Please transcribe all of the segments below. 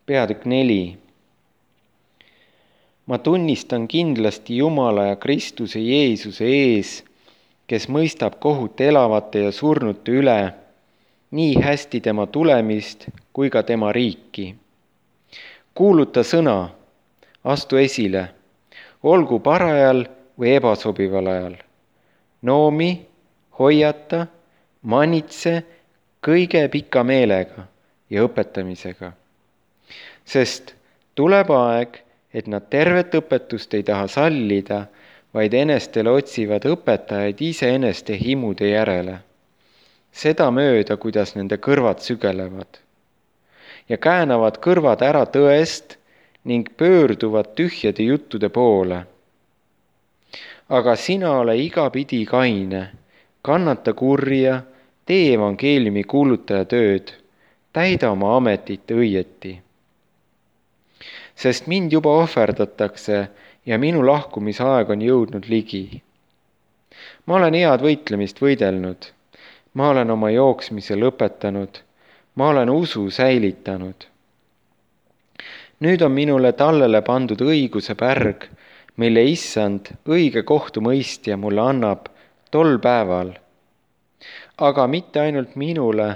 Peatükk 4. Ma tunnistan kindlasti Jumala ja Kristuse Jeesuse ees, kes mõistab kohut elavate ja surnute üle, nii hästi tema tulemist kui ka tema riiki. Kuuluta sõna, astu esile, olgu parajal või ebasobival ajal. Noomi, hoiata, manitse kõige pika meelega ja õpetamisega. Sest tuleb aeg, et nad tervet õpetust ei taha sallida, vaid enestele otsivad õpetajaid iseeneste himude järele. Seda mööda, kuidas nende kõrvad sügelevad. Ja käänavad kõrvad ära tõest ning pöörduvad tühjade juttude poole. Aga sina ole igapidi kaine, kannata kurja, tee evangeeliumi kuulutaja tööd, täida oma ametit õieti. Sest mind juba ohverdatakse ja minu lahkumisaeg on jõudnud ligi. Ma olen head võitlemist võidelnud, ma olen oma jooksmise lõpetanud, ma olen usu säilitanud. Nüüd on minule tallele pandud õiguse pärg, mille issand õige kohtumõistja mulle annab tol päeval. Aga mitte ainult minule,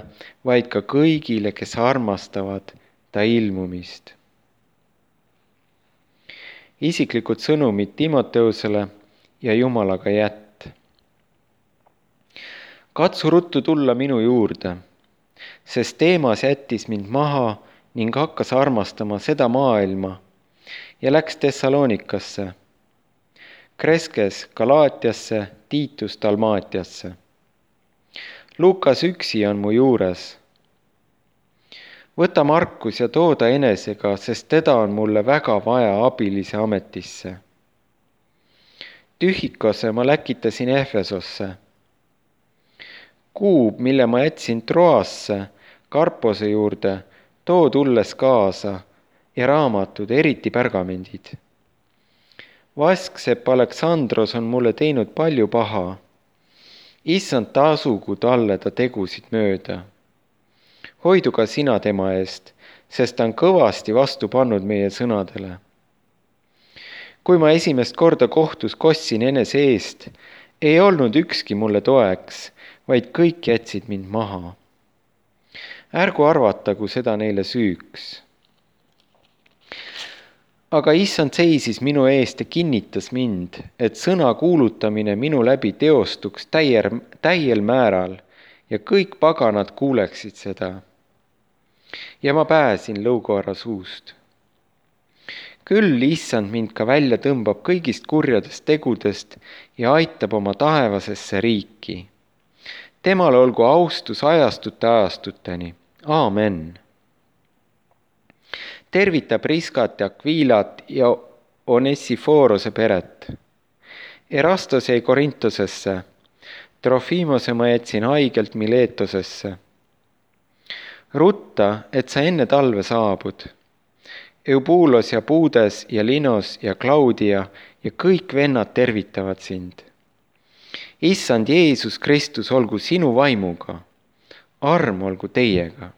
vaid ka kõigile, kes armastavad ta ilmumist. Isiklikud sõnumid Timoteusele ja Jumalaga jätt. Katsu ruttu tulla minu juurde, sest Teemas jättis mind maha ning hakkas armastama seda maailma ja läks Thessalonikasse, Kreskes Galaatiasse, Tiitus Dalmaatiasse. Lukas üksi on mu juures. Võta Markus ja tooda enesega, sest teda on mulle väga vaja abilise ametisse. Tühikose ma läkitasin Efesosse. Kuub, mille ma jätsin Troasse, Karpose juurde, too tulles kaasa ja raamatud, eriti pärgamendid. Vasksepp Aleksandros on mulle teinud palju paha. Issand tasugu talle ta tegusid mööda. Hoidu ka sina tema eest, sest ta on kõvasti vastu pannud meie sõnadele. Kui ma esimest korda kohtus kostsin enese eest, ei olnud ükski mulle toeks, vaid kõik jätsid mind maha. Ärgu arvatagu seda neile süüks. Aga issand seisis minu eest ja kinnitas mind, et sõna kuulutamine minu läbi teostuks täiel määral ja kõik paganad kuuleksid seda. Ja ma pääsin lõukoara suust. Küll issand mind ka välja tõmbab kõigist kurjadest tegudest ja aitab oma taevasesse riiki. Temal olgu austus ajastuteni. Aamen. Tervita Priskat ja Aquilat ja Onesiforose peret. Erastos jäi Korintosesse. Trofimose ma jätsin haigelt Miletosesse. Rutta, et sa enne talve saabud. Eubulos ja Puudes ja Linos ja Claudia ja kõik vennad tervitavad sind. Issand Jeesus Kristus olgu sinu vaimuga. Arm olgu teiega.